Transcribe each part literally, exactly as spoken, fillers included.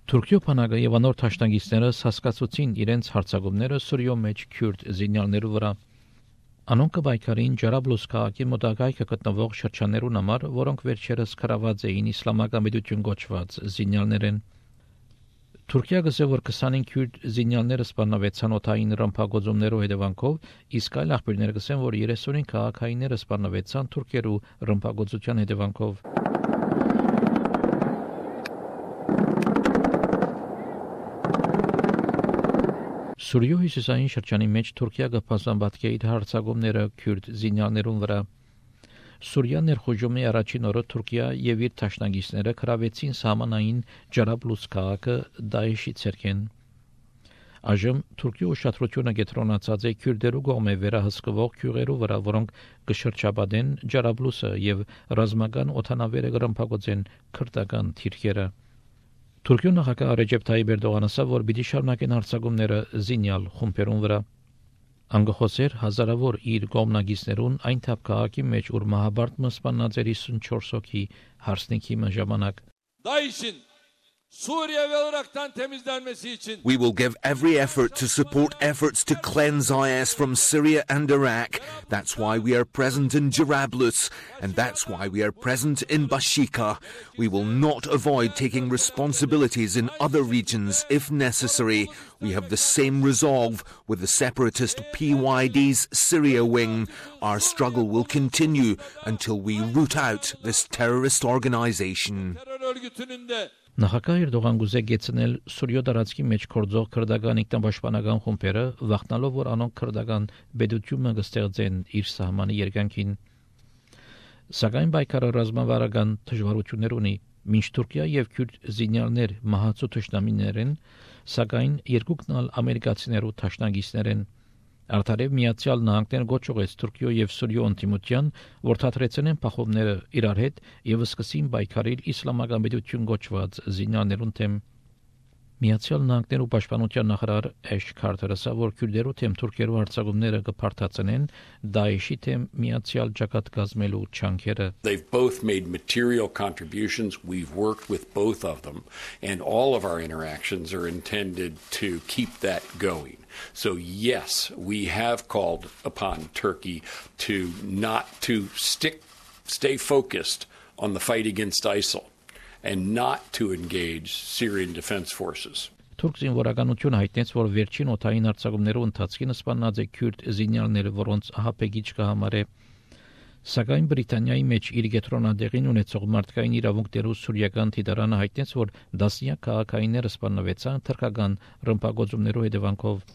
Թուրքիո բանակը եւ անոր թաշնագիստները հասկացուցին իրենց հարձակումները Սուրիո մեջ քյուրդ զինյալներու վրա։ Անոնք կվայքարին Ջարաբլուս քաղաքի մոտակայքը գտնվող շրջաններուն համար, որոնք վերջերս կրաված էին իսլամական պետություն գոչված զինյալներեն։ Թուրքիա գսե որ քսանինք քյուրդ զինյալները սպանավեցան օթային ռմբակոծումներով հետևանքով, իսկ այլ աղբյուրներ գսեն, որ երեսունին քաղաքայինները սպանավեցան թուրքերու ռմբակոծության հետևանքով։ Սուրիո հյուսիսային շրջանի մեջ Թուրքիա գփասանբատկե իր հարձակումները քյուրդ զինյալներուն վրա։ Սուրիա ներխուժումի առաջին օրը Թուրքիա եւ իր թաշնագիստները կրավեցին սահմանային Ջարաբլուս քաղաքը Դաեշի ցերկեն։ Այժմ Թուրքիո ուշադրությունը կենտրոնացած է քյուրդերու կողմէ վերահսկվող քյուղերու վրա, որոնք կշրջապատեն Ջարաբլուսը եւ ռազմական օթանավերը կրմբակոծեն քրդական թիրքերը։ Թուրքիո նախագահ Ռեջեփ Թայիպ Էրդողանը ասավ, որ պիտի շարունակեն հարձակումները զինյալ խումբերուն վրա։ Անգխոսեր հազարավոր իր կողմնագիստներուն այն թափ քաղաքի մեջ, ուր մահաբարտ սպանած էր հիսունչորս հոգի հարսնիքի ժամանակ։ Daesh'in Suriye ve Irak'tan temizlenmesi için We will give every effort to support efforts to cleanse I S from Syria and Iraq. That's why we are present in Jarablus, and that's why we are present in Bashika. We will not avoid taking responsibilities in other regions if necessary. We have the same resolve with the separatist P Y D's Syria wing. Our struggle will continue until we root out this terrorist organization. terör örgütünün de Նախագահ Էրդողան գուզե գեցնել Սուրիո տարածքի մեջ կորձող քրդական ինքնապաշտպանական խումբերը, վախնալով, որ անոնք քրդական բեդությունը կստեղծեն իր սահմանի երկայնքին։ Սակայն պայքարը ռազմավարական դժվարություններ ունի, մինչ Թուրքիա եւ քյուրդ զինյալներ մահացու թշնամիներ են, սակայն երկուքն ալ ամերիկացիներու թաշնագիստներ են։ Արդարև Միացյալ Նահանգներն գոչողեց Թուրքիո եւ Սուրիո ընդդիմության, որ թատրեցնեն փախովները իրար հետ եւ սկսին պայքարել իսլամական պետություն գոչված զինյալներուն թեմ։ Միացյալ Նահանգներու պաշտպանության նախարար Էշ Քարթերը ասավ, որ քյուրդերու թեմ թուրքերու հարձակումները կփարթացնեն Դաեշի թեմ միացյալ ջակատ կազմելու չանքերը։ They've both made material contributions. We've worked with both of them, and all of our interactions are intended to keep that going. So yes, we have called upon Turkey to not to stick, stay focused on the fight against ISIL and not to engage Syrian Defense Forces. Թուրք զինվորականությունը հայտնեց, որ վերջին օթային հարձակումներու ընթացքին սպանած է քյուրդ զինյալները, որոնց ահապեգիչ կհամարե։ Սակայն Բրիտանիայի մեջ իր գետրոնադեղին ունեցող մարդկային իրավունքներու սուրիական դիտարանը հայտնեց, որ դասնյակ քաղաքայինները սպանվեցան թրքական ռմբակոծումներու հետևանքով։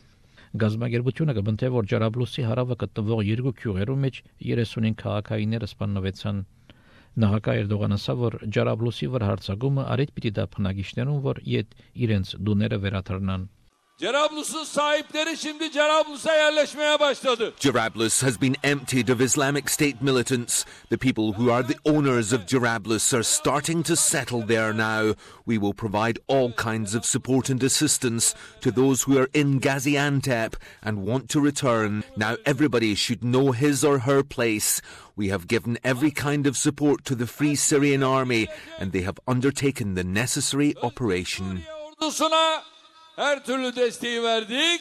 Գազագերբությունը կբնթե, որ Ջարաբլուսի հարավը գտնվող երկու քյուղերու մեջ երեսունին քաղաքայինները սպանվեցան։ Նախագահ Էրդողանը ասավ, որ Ջարաբլուսի վրա հարձակումը արիդ պիտի դա բնակիչներուն, որ իդ իրենց դուները վերաթռնան։ Cerablus'un sahipleri şimdi Cerablus'a yerleşmeye başladı. Jarablus has been emptied of Islamic State militants. The people who are the owners of Jarablus are starting to settle there now. We will provide all kinds of support and assistance to those who are in Gaziantep and want to return. Now everybody should know his or her place. We have given every kind of support to the Free Syrian Army, and they have undertaken the necessary operation. Ordusuna her türlü desteği verdik.